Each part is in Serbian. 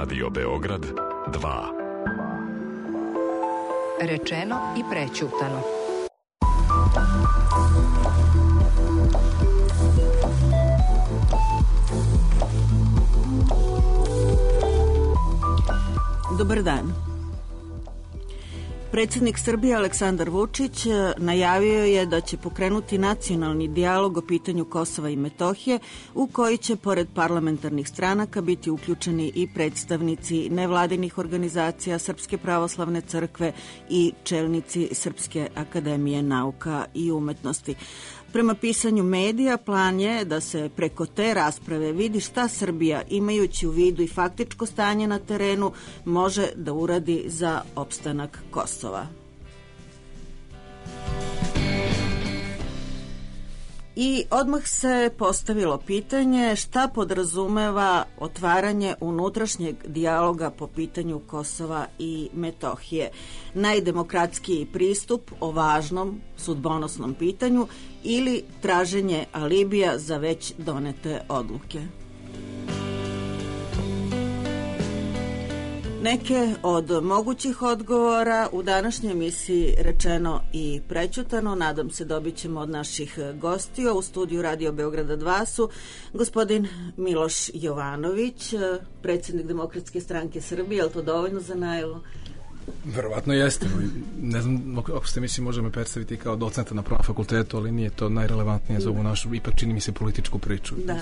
Radio Beograd 2. Rečeno i prećutano. Dobar dan. Predsjednik Srbije Aleksandar Vučić najavio je da će pokrenuti nacionalni dijalog o pitanju Kosova i Metohije, u koji će pored parlamentarnih stranaka biti uključeni i predstavnici nevladinih organizacija Srpske pravoslavne crkve i čelnici Srpske akademije nauka i umetnosti. Prema pisanju medija, plan je da se preko te rasprave vidi šta Srbija, imajući u vidu i faktičko stanje na terenu, može da uradi za opstanak Kosova. I odmah se postavilo pitanje šta podrazumeva otvaranje unutrašnjeg dijaloga po pitanju Kosova i Metohije. Najdemokratskiji pristup o važnom sudbonosnom pitanju ili traženje alibija za već donete odluke. Neke od mogućih odgovora u današnjoj emisiji Rečeno i prećutano, nadam se dobit ćemo od naših gostiju. U studiju Radio Beograda 2 su gospodin Miloš Jovanović, predsjednik Demokratske stranke Srbije. Je li to dovoljno za najavu? Verovatno jeste. Ne znam ako ste mislim možemo predstaviti kao docenta na Pravnom fakultetu, ali nije to najrelevantnije za ovu našu, ipak čini mi se, političku priču. Da.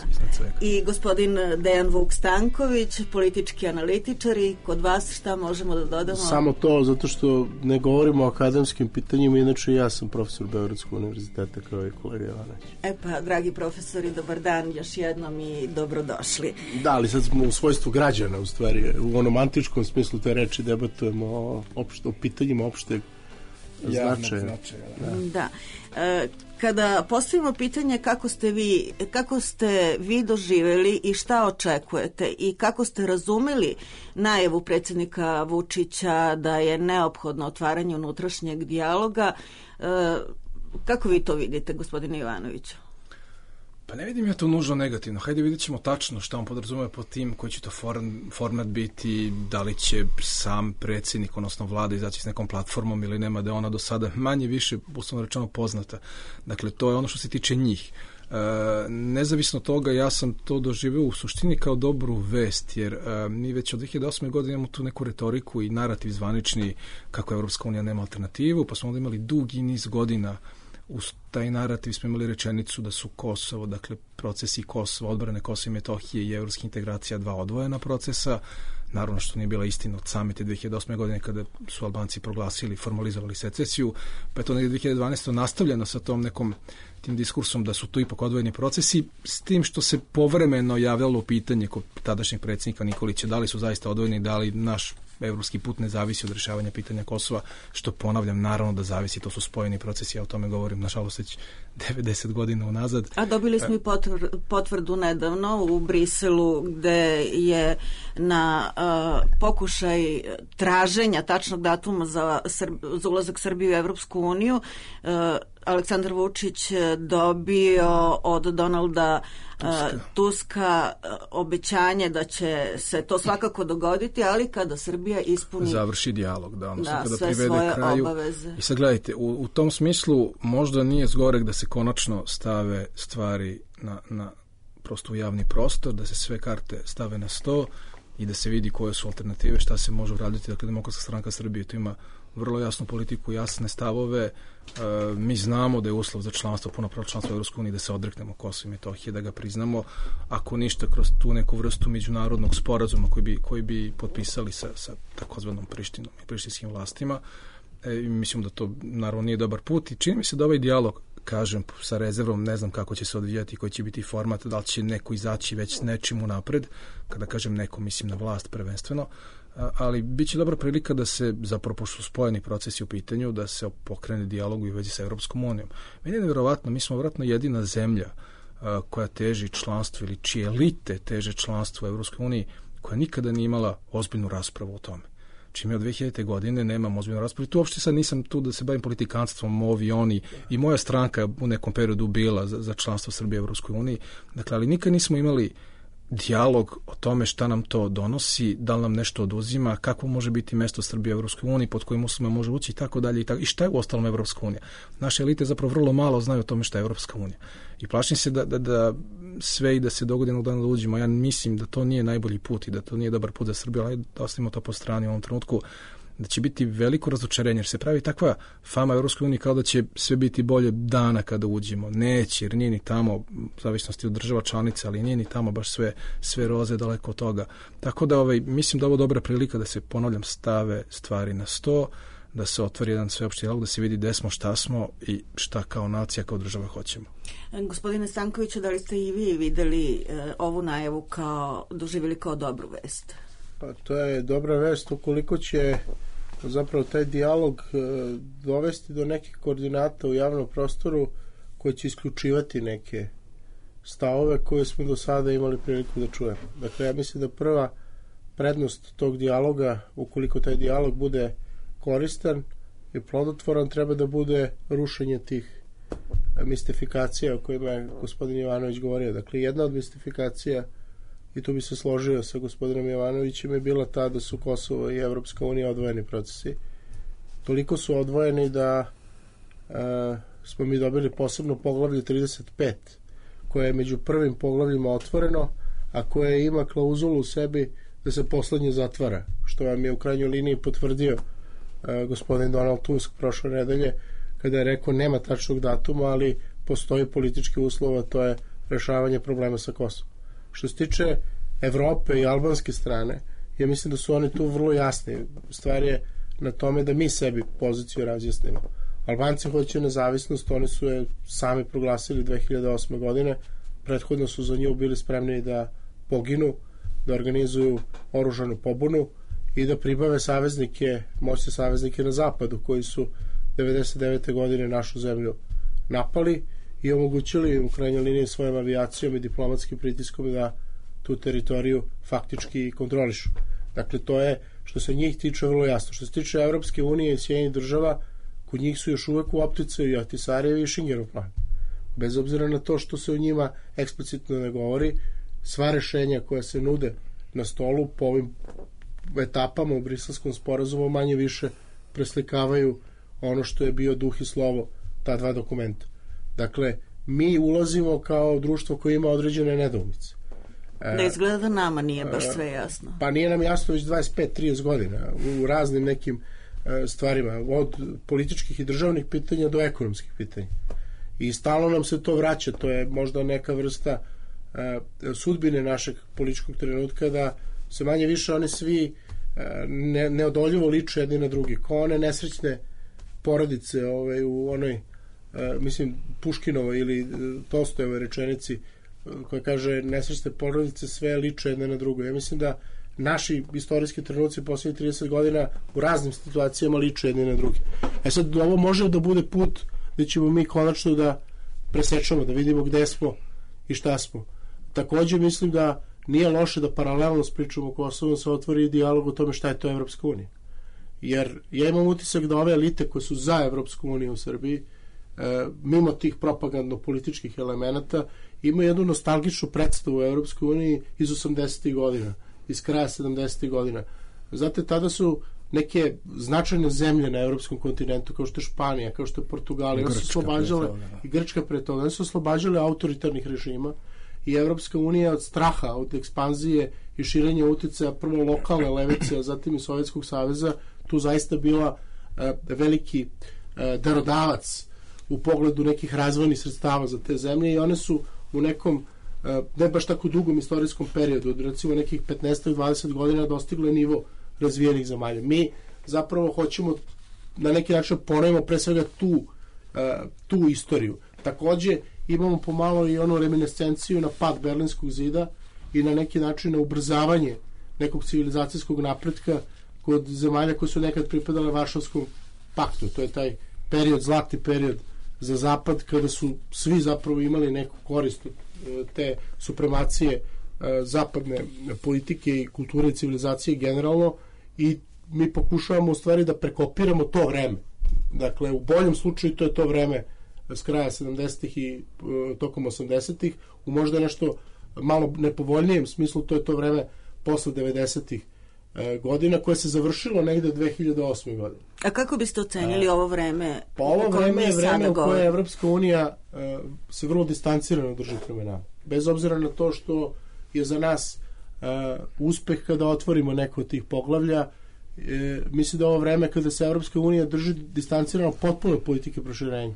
I gospodin Dejan Vuk Stanković, politički analitičar, i kod vas šta možemo da dodamo? Samo to, zato što ne govorimo o akademskim pitanjima, inače ja sam profesor Beogradskog univerziteta kao i kolega Jovanović. Pa, dragi profesori, dobar dan još jednom i dobrodošli. Da, ali sad smo u svojstvu građana, u stvari, u onom antičkom smislu te reči debatujemo o pitanjima opšteg značaja. Da. Kada postavimo pitanje kako ste vi doživjeli i šta očekujete i kako ste razumeli najavu predsjednika Vučića da je neophodno otvaranje unutrašnjeg dijaloga, kako vi to vidite, gospodine Ivanoviću? Pa ne vidim ja to nužno negativno. Hajde vidjet ćemo tačno šta on podrazumeva pod tim, koji će to format biti, da li će sam predsjednik, odnosno vlada, izaći s nekom platformom ili nema, da je ona do sada manje više, uslovno rečeno, poznata. Dakle, to je ono što se tiče njih. Nezavisno toga, ja sam to doživio u suštini kao dobru vest, jer mi već od 2008. godine imamo tu neku retoriku i narativ zvanični kako Evropska unija nema alternativu, pa smo onda imali dugi niz godina. Uz taj narativ smo imali rečenicu da su Kosovo, dakle procesi Kosova, odbrane Kosova i Metohije i evropskih integracija dva odvojena procesa. Naravno što nije bila istina od samite 2008. godine kada su Albanci proglasili, formalizovali secesiju, pa je to negdje 2012. nastavljeno sa tim diskursom da su to ipak odvojeni procesi, s tim što se povremeno javljalo pitanje kod tadašnjeg predsjednika Nikolića da li su zaista odvojeni, da li naš evropski put ne zavisi od rješavanja pitanja Kosova, što ponavljam, naravno da zavisi, to su spojeni procesi, ja o tome govorim nažalost već 90 godina unazad. A dobili smo i potvrdu nedavno u Briselu, gde je na pokušaj traženja tačnog datuma za ulazak Srbije u Evropsku uniju Aleksandar Vučić dobio od Donalda Tuska obećanje da će se to svakako dogoditi, ali kada Srbija ispuni završi dijalog, kada sve privede svoje kraju obaveze. I sad gledajte, u tom smislu možda nije zgorek da se konačno stave stvari na prosto u javni prostor, da se sve karte stave na sto i da se vidi koje su alternative, šta se može uraditi. Dakle, Demokratska stranka Srbije tu ima vrlo jasnu politiku, jasne stavove. Mi znamo da je uslov za članstvo, punopravno članstvo u Evropskoj uniji, da se odreknemo Kosova i Metohije, da ga priznamo, ako ništa kroz tu neku vrstu međunarodnog sporazuma koji bi potpisali sa takozvanom Prištinom i prištinskim vlastima. Mislim da to naravno nije dobar put i čini mi se da ovaj dijalog, kažem sa rezervom, ne znam kako će se odvijati, koji će biti format, da li će neko izaći već s nečim unapred, kada kažem neko, mislim na vlast prvenstveno, ali bit će dobra prilika da se, zapravo pošto su spojeni procesi u pitanju, da se pokrene dijalog u vezi sa Evropskom unijom. Meni je nevjerovatno, mi smo vjerojatno jedina zemlja koja teži članstvo ili čije elite teže članstvo u Evropskoj uniji, koja nikada nije imala ozbiljnu raspravu o tome. Čim je od 2000. godine nemam ozbiljnu raspravu. Tu uopšte sad nisam tu da se bavim politikanstvom, ovi, oni, i moja stranka u nekom periodu bila za članstvo Srbije u Evropskoj uniji. Dakle, ali nikad nismo imali dijalog o tome šta nam to donosi, da li nam nešto oduzima, kako može biti mesto Srbije u Evropskoj uniji, pod kojim uslovima može ući i tako dalje i šta je u ostalom Evropska unija. Naše elite zapravo vrlo malo znaju o tome šta je Evropska unija. I plašim se da sve i da se dogodi jednog dana da uđemo. Ja mislim da to nije najbolji put i da to nije dobar put za Srbiju, ali da ostavimo to po strani u ovom trenutku, da će biti veliko razočarenje, jer se pravi takva fama Evropskoj uniji kao da će sve biti bolje dana kada uđemo. Neće, jer nije ni tamo, u zavisnosti od država članica, ali nije ni tamo baš sve roze, daleko od toga. Tako da mislim da ovo dobra prilika da se, ponavljam, stave stvari na sto, da se otvori jedan sveopšti dijalog, da se vidi gde smo, šta smo i šta kao nacija, kao država hoćemo. Gospodine Stankoviću, da li ste i vi videli ovu najavu doživjeli kao dobru vest? Pa to je dobra vest ukoliko će zapravo taj dijalog dovesti do nekih koordinata u javnom prostoru koji će isključivati neke stavove koje smo do sada imali priliku da čujemo. Dakle, ja mislim da prva prednost tog dijaloga, ukoliko taj dijalog bude koristan i plodotvoran, treba da bude rušenje tih mistifikacija o kojima je gospodin Jovanović govorio. Dakle, jedna od mistifikacija, i tu bi se složio sa gospodinom Jovanovićem, je bila ta da su Kosovo i Evropska unija odvojeni procesi. Toliko su odvojeni da smo mi dobili posebno poglavlje 35, koje je među prvim poglavljima otvoreno, a koje ima klauzulu u sebi da se poslednje zatvara, što vam je u krajnjoj liniji potvrdio gospodin Donald Tusk prošle nedelje, kada je rekao nema tačnog datuma, ali postoji politički uslov, a to je rešavanje problema sa Kosovom. Što se tiče Evrope i albanske strane, ja mislim da su oni tu vrlo jasni. Stvar je na tome da mi sebi poziciju razjasnimo. Albanci hoće nezavisnost, oni su je sami proglasili 2008. godine, prethodno su za nju bili spremni da poginu, da organizuju oružanu pobunu i da pribave saveznike, moćne saveznike na zapadu, koji su 99. godine našu zemlju napali i omogućili u krajnjoj liniji svojom avijacijom i diplomatskim pritiskom da tu teritoriju faktički kontrolišu. Dakle, to je što se njih tiče vrlo jasno. Što se tiče Evropske unije i Sjedinjenih država, kod njih su još uvek u opticaju i Ahtisarijev i Šingerov plan. Bez obzira na to što se o njima eksplicitno ne govori, sva rešenja koja se nude na stolu po ovim etapama u Briselskom sporazumu manje više preslikavaju ono što je bio duh i slovo ta dva dokumenta. Dakle, mi ulazimo kao društvo koje ima određene nedoumice. Da izgleda da nama nije baš sve jasno. Pa nije nam jasno već 25-30 godina u raznim nekim stvarima, od političkih i državnih pitanja do ekonomskih pitanja. I stalno nam se to vraća, to je možda neka vrsta sudbine našeg političkog trenutka, da se manje više oni svi neodoljivo liče jedni na drugi, kao one nesrećne porodice u onoj mislim Puškinovoj ili Tolstojevoj rečenici koja kaže nesrećne porodice sve liče jedne na drugo. Ja mislim da naši istorijski trenuci posljednjih 30 godina u raznim situacijama liče jedni na drugi. Sad ovo može da bude put gde ćemo mi konačno da presečemo, da vidimo gde smo i šta smo. Takođe mislim da nije loše da paralelno s pričom o Kosovu se otvori dijalog o tome šta je to Evropska unija. Jer ja imam utisak da ove elite koje su za Evropsku uniju u Srbiji, mimo tih propagandno-političkih elemenata, imaju jednu nostalgičnu predstavu u Evropskoj uniji iz 80. godina, iz kraja 70. godina. Znate, tada su neke značajne zemlje na evropskom kontinentu, kao što je Španija, kao što je Portugalija, i Grčka pre toga, one su oslobađale autoritarnih režima i Evropska unija od straha, od ekspanzije i širenja uticaja prvo lokalne levice, a zatim i Sovjetskog saveza, tu zaista bila veliki darodavac u pogledu nekih razvojnih sredstava za te zemlje i one su u nekom ne baš tako dugom istorijskom periodu, od recimo nekih 15-20 godina dostigle nivo razvijenih zemalja. Mi zapravo hoćemo na neki način ponovimo pre svega tu istoriju. Takođe imamo pomalo i onu reminiscenciju na pad Berlinskog zida i na neki način na ubrzavanje nekog civilizacijskog napretka kod zemalja koje su nekad pripadale Varšavskom paktu. To je taj period, zlatni period za zapad, kada su svi zapravo imali neku korist te supremacije zapadne politike i kulture i civilizacije generalno, i mi pokušavamo u stvari da prekopiramo to vreme. Dakle, u boljem slučaju to je to vreme s kraja 70-ih i tokom 80-ih, u možda nešto malo nepovoljnijem smislu, to je to vreme posle 90-ih godina, koje se završilo negde 2008. godine. A kako biste ocenili ovo vreme? Pa ovo vreme je vreme u koje Evropska unija se vrlo distancirano drži prema nama. Bez obzira na to što je za nas uspeh kada otvorimo neko od tih poglavlja, mislim da ovo vreme kada se Evropska unija drži distancirano potpuno politike proširenja.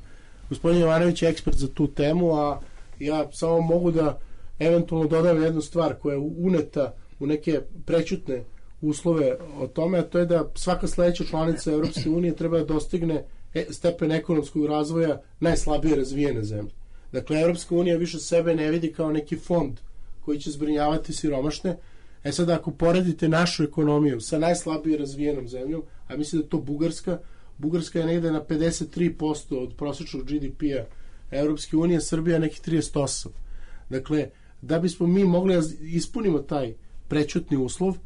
Gospodin Jovanović je ekspert za tu temu, a ja samo mogu da eventualno dodam jednu stvar koja je uneta u neke prećutne uslove o tome, a to je da svaka sledeća članica Evropske unije treba da dostigne stepen ekonomskog razvoja najslabije razvijene zemlje. Dakle, Evropska unija više sebe ne vidi kao neki fond koji će zbrinjavati siromašne. Sad, ako poredite našu ekonomiju sa najslabije razvijenom zemljom, a mislim da je to Bugarska je negde na 53% od prosječnog GDP-a Evropske unije, Srbija nekih 38%. Dakle, da bismo mi mogli da ispunimo taj prećutni uslov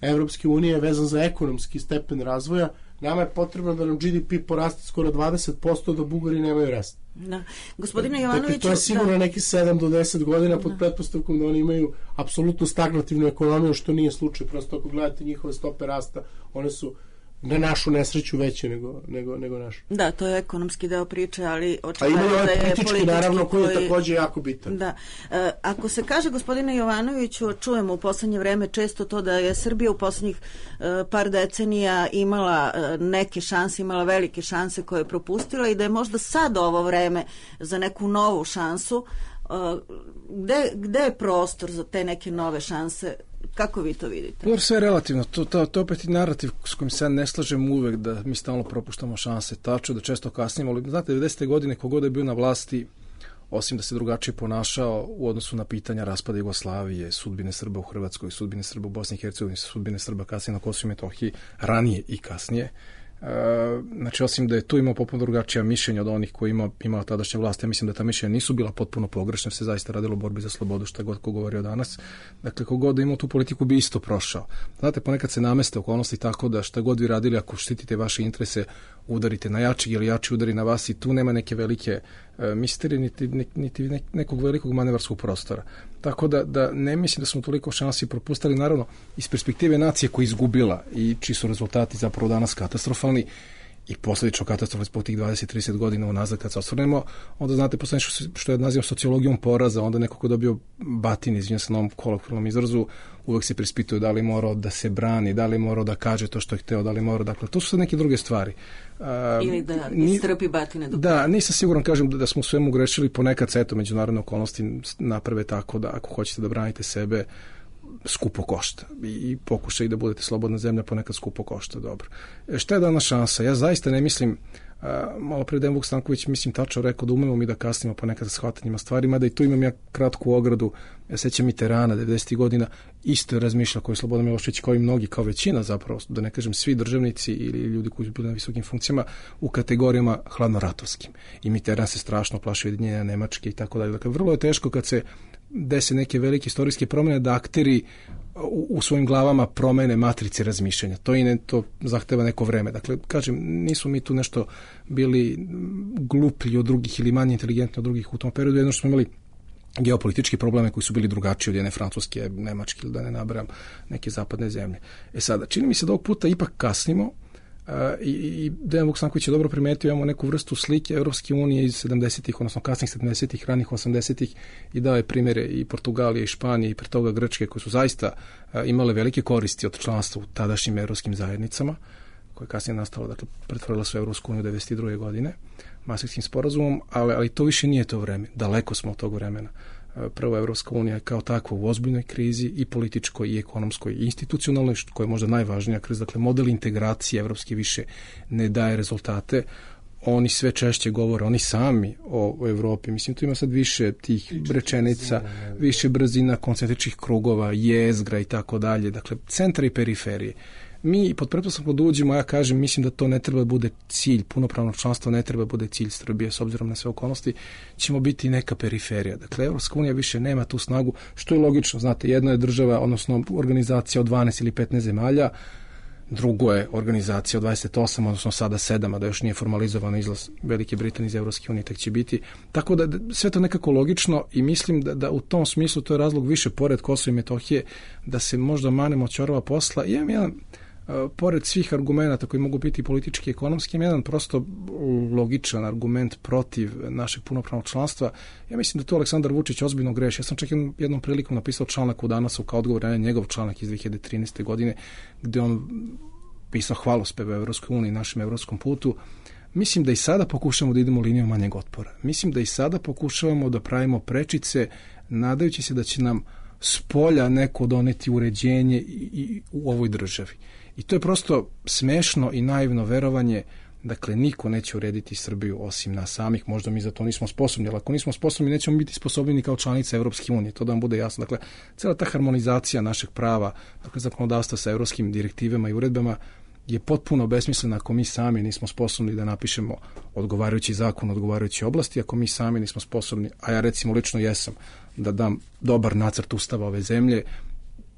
Evropske unije vezan za ekonomski stepen razvoja, nama je potrebno da nam GDP poraste skoro 20%, da Bugari nemaju rast. Da. Gospodine Jovanoviću... Dakle, to je sigurno neki 7 do 10 godina pod pretpostavkom da oni imaju apsolutno stagnativnu ekonomiju, što nije slučaj. Prosto ako gledate njihove stope rasta, one su na našu nesreću veće nego našu. Da, to je ekonomski deo priče, ali očigledno da je politički, naravno, koji je takođe jako bitan. Da. Ako se kaže, gospodine Jovanoviću, čujemo u poslednje vreme često to da je Srbija u poslednjih par decenija imala neke šanse, imala velike šanse koje je propustila i da je možda sad ovo vreme za neku novu šansu. Gde je prostor za te neke nove šanse? Kako vi to vidite? Dobro, sve je relativno. To opet i narativ s kojim se ne slažem uvek, da mi stalno propuštamo šanse, tačno, da često kasnimo. Ali, znate, 90. godine kogod je bio na vlasti, osim da se drugačije ponašao u odnosu na pitanja raspada Jugoslavije, sudbine Srba u Hrvatskoj, sudbine Srba u Bosni i Hercegovini, sudbine Srba kasnije na Kosovu i Metohiji, ranije i kasnije. Znači, osim da je tu imao potpuno drugačija mišljenja od onih koji imala tadašnja vlast, ja mislim da ta mišljenja nisu bila potpuno pogrešna, se zaista radilo o borbi za slobodu, šta god ko govorio danas. Dakle, kogod da imao tu politiku bi isto prošao. Znate, ponekad se nameste okolnosti tako da šta god vi radili, ako štitite vaše interese, udarite na jačeg ili jači udari na vas, i tu nema neke velike misterije, niti nekog velikog manevarskog prostora. Tako da ne mislim da smo toliko šansi propustili, naravno, iz perspektive nacije koja je izgubila i čiji su rezultati zapravo danas katastrofalni i posljedično katastrofalni zbog tih 20-30 godina unazad kad se osvrnemo, onda znate, posle što je nazivam sociologijom poraza, onda neko ko dobio batin, izvinjam se na ovom kolokvijalnom izrazu, uvek se preispituje da li morao da se brani, da li morao da kaže to što je hteo, da li morao, dakle, to su sad neke druge stvari. Ili da istrpi batine. Da, nisam siguran, kažem, da smo u svemu grešili, ponekad se, eto, međunarodne okolnosti naprave tako da ako hoćete da branite sebe, skupo košta i pokušaj da budete slobodna zemlja ponekad skupo košta, dobro. Šta je danas šansa? Ja zaista ne mislim, malo pre Dejan Vuk Stanković mislim tačno rekao da umemo mi da kasnimo ponekad sa shvatanjima stvarima, da i tu imam ja kratku ogradu. Ja sećam Mitterranda 90. godina, isto je razmišljao koji je Slobodan Milošević, kao i mnogi, kao većina zapravo, da ne kažem svi državnici ili ljudi koji su bili na visokim funkcijama, u kategorijama hladnoratovskim. I Mitterrand se strašno plašio ujedinjenja Nemačke i tako dalje. Dakle, vrlo je teško kad se dese neke velike istorijske promjene da akteri u svojim glavama promene matrice razmišljanja. To zahteva neko vreme. Dakle, kažem, nismo mi tu nešto bili gluplji od drugih ili manje inteligentni od drugih u tom periodu, jedno što smo imali geopolitički probleme koji su bili drugačiji od jedne Francuske, Nemačke ili da ne nabrajam neke zapadne zemlje. Sada, čini mi se da ovog puta ipak kasnimo i Dejan Vuk Stanković je dobro primetio, imamo neku vrstu slike Evropske unije iz 70-ih, odnosno kasnih 70-ih, ranih 80-ih i dao je primjere i Portugalije i Španije i pre toga Grčke koje su zaista imale velike koristi od članstva u tadašnjim evropskim zajednicama koje je kasnije nastalo, dakle pretvorila su Evropsku uniju 1992. godine Mastrihtskim sporazumom, ali to više nije to vreme, daleko smo od tog vremena. Prva Evropska unija kao takva u ozbiljnoj krizi i političkoj i ekonomskoj i institucionalnoj, koja je možda najvažnija kriza, dakle model integracije evropske više ne daje rezultate. Oni sve češće govore, oni sami o Evropi. Mislim, tu ima sad više tih rečenica, više brzina, koncentričnih krugova, jezgra i tako dalje. Dakle, centra i periferije. Mi pod pretpostavkom da uđemo, ja kažem, mislim da to ne treba da bude cilj, punopravno članstvo ne treba da bude cilj Srbije, s obzirom na sve okolnosti, ćemo biti neka periferija. Dakle, Evropska unija više nema tu snagu, što je logično, znate, jedna je država, odnosno organizacija od 12 ili 15 zemalja, drugo je organizacija od 28, odnosno sada 7, a da još nije formalizovan izlaz Velike Britanije iz Evropske unije, tek će biti. Tako da sve to nekako logično i mislim da u tom smislu to je razlog više pored Kosova i Metohije da se možda manemo ćorava posla. I imam jedan, pored svih argumenta koji mogu biti politički i ekonomski, imam jedan prosto logičan argument protiv našeg punopravnog članstva. Ja mislim da to Aleksandar Vučić ozbiljno greši. Ja sam čak jednom prilikom napisao članak u Danasu kao odgovor na njegov članak iz 2013. godine, gde on pisao hvalospeve Evropskoj uniji, našem evropskom putu. Mislim da i sada pokušamo da idemo linijom manjeg otpora. Mislim da i sada pokušavamo da pravimo prečice, nadajući se da će nam s polja neko doneti uređenje i u ovoj državi. I to je prosto smešno i naivno verovanje. Dakle, niko neće urediti Srbiju osim nas samih, možda mi za to nismo sposobni, ali ako nismo sposobni, nećemo biti sposobni ni kao članica Evropske unije, to da vam bude jasno. Dakle, cela ta harmonizacija našeg prava, dakle, zakonodavstva sa evropskim direktivama i uredbama je potpuno besmislena ako mi sami nismo sposobni da napišemo odgovarajući zakon, odgovarajući oblasti, ako mi sami nismo sposobni, a ja recimo lično jesam, da dam dobar nacrt ustava ove zemlje,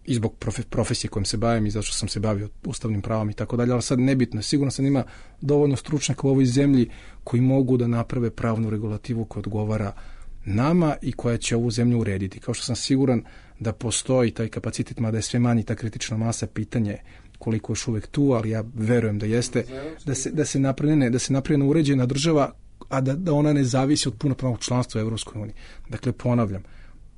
i zbog profesije kojom se bavim i zato što sam se bavio ustavnim pravom i tako dalje, ali sad nebitno. Sigurno sam ima dovoljno stručnjaka u ovoj zemlji koji mogu da naprave pravnu regulativu koja odgovara nama i koja će ovu zemlju urediti. Kao što sam siguran da postoji taj kapacitet, mada je sve manji ta kritična masa, pitanje koliko još uvek tu, ali ja verujem da jeste, da se napravi uređena država, a da ona ne zavisi od punopravnog članstva u Evropskoj uniji. Dakle, ponavljam,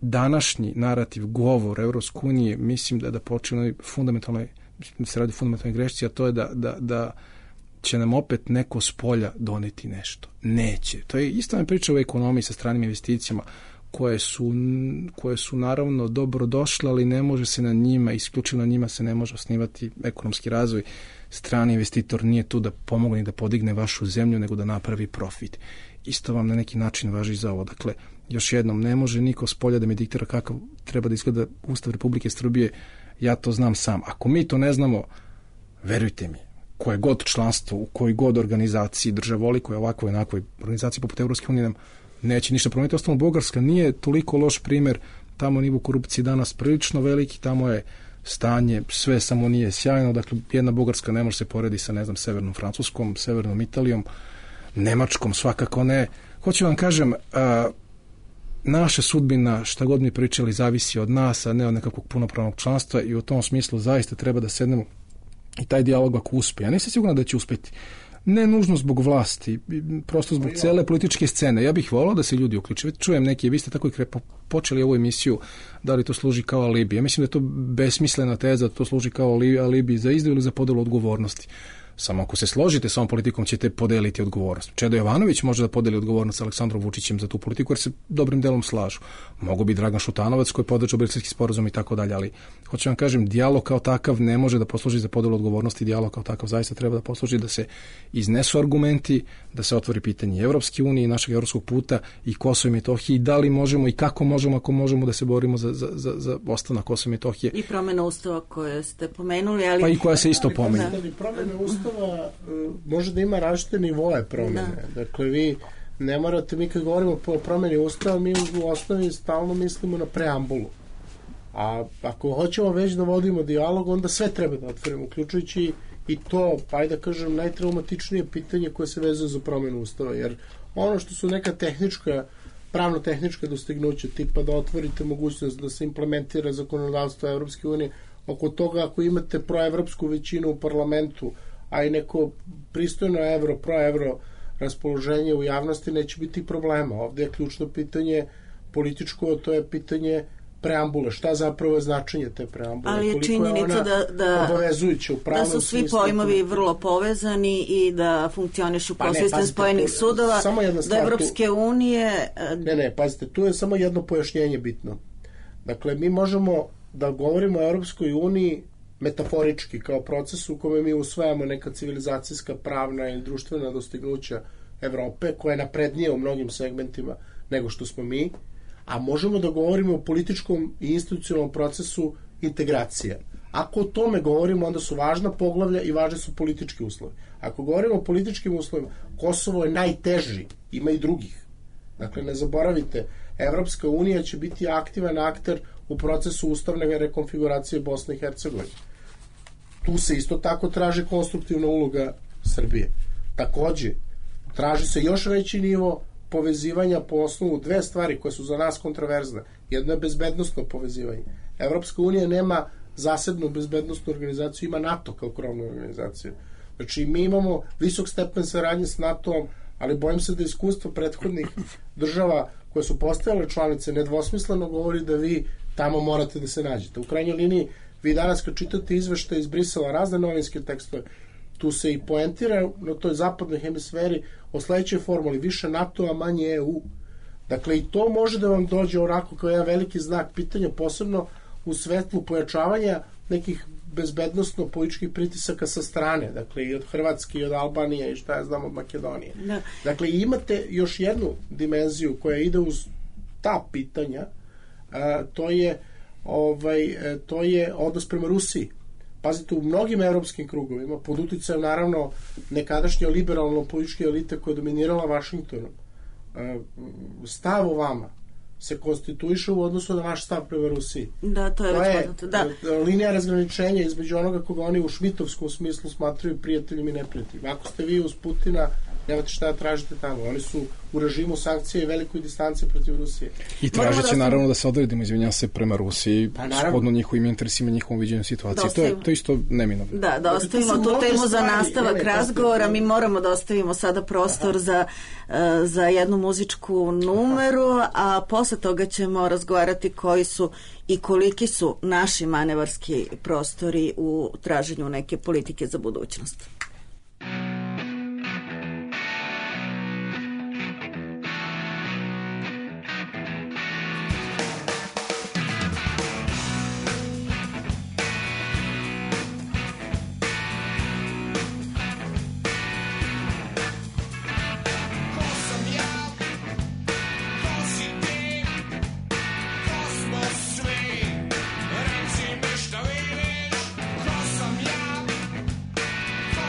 današnji narativ, govor Evropske unije, mislim da počne fundamentalnoj, da se radi fundamentalnoj grešci, a to je da će nam opet neko s polja doneti nešto. Neće. To je isto priča u ekonomiji sa stranim investicijama koje su naravno dobro došle, ali ne može se na njima, isključivo na njima se ne može osnivati ekonomski razvoj. Strani investitor nije tu da pomogne i da podigne vašu zemlju, nego da napravi profit. Isto vam na neki način važi za ovo. Dakle, još jednom, ne može niko s polja da mi diktira kakav treba da izgleda Ustav Republike Srbije, ja to znam sam. Ako mi to ne znamo, verujte mi, koje god članstvo, u kojoj god organizaciji državoli, koja je ovakvoj i onakvoj organizaciji poput Evropske unije nam neće ništa promeniti. Ostalo, Bugarska nije toliko loš primer, tamo nivo korupcije danas prilično veliki, tamo je stanje, sve samo nije sjajno, dakle jedna Bugarska ne može se poredi sa, ne znam, severnom Francuskom, severnom Italijom, Nemačkom, svakako ne. Hoću vam kažem, naša sudbina, šta god mi pričali, zavisi od nas, a ne od nekakvog punopravnog članstva i u tom smislu zaista treba da sednemo i taj dijalog ako uspe. Ja nisam siguran da će uspeti. Ne nužno zbog vlasti, prosto zbog cele političke scene. Ja bih volao da se ljudi uključe. Čujem neki, vi ste tako i počeli ovu emisiju, da li to služi kao alibi. Ja mislim da je to besmislena teza, da to služi kao alibi za izdaju ili za podelu odgovornosti. Samo ako se složite s ovom politikom ćete podeliti odgovornost. Čedo Jovanović može da podeli odgovornost sa Aleksandrom Vučićem za tu politiku jer se dobrim delom slažu. Mogu bi Dragan Šutanovac koji je podržao Briselski sporazum i tako dalje, ali hoću vam kažem, dijalog kao takav ne može da posluži za podelu odgovornosti, dijalog kao takav zaista treba da posluži da se iznesu argumenti, da se otvori pitanje Evropske unije i našeg evropskog puta i Kosova i Metohije i da li možemo i kako možemo, ako možemo da se borimo za ostanak Kosova i Metohije. I promjena ustava koje ste pomenuli, ali... Pa i koja se isto pomenula. Promjena ustava može da ima različite nivoe promjene. Dakle, vi ne morate, mi kad govorimo o promjeni ustava, mi u osnovi stalno mislimo na preambulu. A ako hoćemo već da vodimo dijalog, onda sve treba da otvorimo, uključujući i to, pa ajde da kažem, najtraumatičnije pitanje koje se vezuje za promjenu ustava, jer ono što su neka pravno-tehnička dostignuća, tipa da otvorite mogućnost da se implementira zakonodavstvo Evropske unije, oko toga ako imate proevropsku većinu u parlamentu, a i neko pristojno proevro raspoloženje u javnosti, neće biti problema. Ovdje je ključno pitanje političko, to je pitanje preambule. Šta zapravo je značenje te preambule? Ali je činjenica da su svi pojmovi vrlo povezani i da funkcionišu kao sistem spojenih sudova do Evropske unije. Pazite, tu je samo jedno pojašnjenje bitno. Dakle, mi možemo da govorimo o Evropskoj uniji metaforički, kao proces u kome mi usvajamo neka civilizacijska, pravna i društvena dostignuća Evrope, koja je naprednije u mnogim segmentima nego što smo mi, a možemo da govorimo o političkom i institucionalnom procesu integracije. Ako o tome govorimo, onda su važna poglavlja i važni su politički uslovi. Ako govorimo o političkim uslovima, Kosovo je najteži, ima i drugih. Dakle, ne zaboravite, Evropska unija će biti aktivan akter u procesu ustavne rekonfiguracije Bosne i Hercegovine. Tu se isto tako traži konstruktivna uloga Srbije. Takođe, traži se još veći nivo povezivanja po osnovu dve stvari koje su za nas kontraverzne. Jedno je bezbednostno povezivanje. Evropska unija nema zasebnu bezbednostnu organizaciju, ima NATO kao krovnu organizaciju. Znači, mi imamo visok stepen saradnje s NATO-om, ali bojim se da iskustvo prethodnih država koje su postajale članice nedvosmisleno govori da vi tamo morate da se nađete. U krajnjoj liniji, vi danas kad čitate izveštaje iz Brisela, razne novinske tekstove, tu se i poentira na toj zapadnoj hemisferi o sledećoj formuli, više NATO-a, manje EU. Dakle, i to može da vam dođe onako kao jedan veliki znak pitanja, posebno u svetlu pojačavanja nekih bezbednostno-političkih pritisaka sa strane, dakle i od Hrvatske i od Albanije i šta ja znam od Makedonije. Da. Dakle, imate još jednu dimenziju koja ide uz ta pitanja, to je odnos prema Rusiji. Pazite, u mnogim evropskim krugovima, pod uticajem naravno nekadašnje liberalno-političke elite koja je dominirala Vašingtonom, stav o vama se konstituiše u odnosu na vaš stav prema Rusiji. Da, to je već poznato. Da. Linija razgraničenja između onoga koga oni u šmitovskom smislu smatraju prijateljima i neprijateljima. Ako ste vi uz Putina, nemate šta da tražite tamo. Oni su u režimu sankcije i velikoj distanci protiv Rusije. I tražeće naravno da se odredimo, izvinjam se, prema Rusiji, shodno njihovim interesima, njihovom viđenju situacije. To je isto neminovno. Da ostavimo tu temu za nastavak razgovora. Mi moramo da ostavimo sada prostor za jednu muzičku numeru, a posle toga ćemo razgovarati koji su i koliki su naši manevarski prostori u traženju neke politike za budućnost. Reci mi šta vidiš, ko sam ja, ko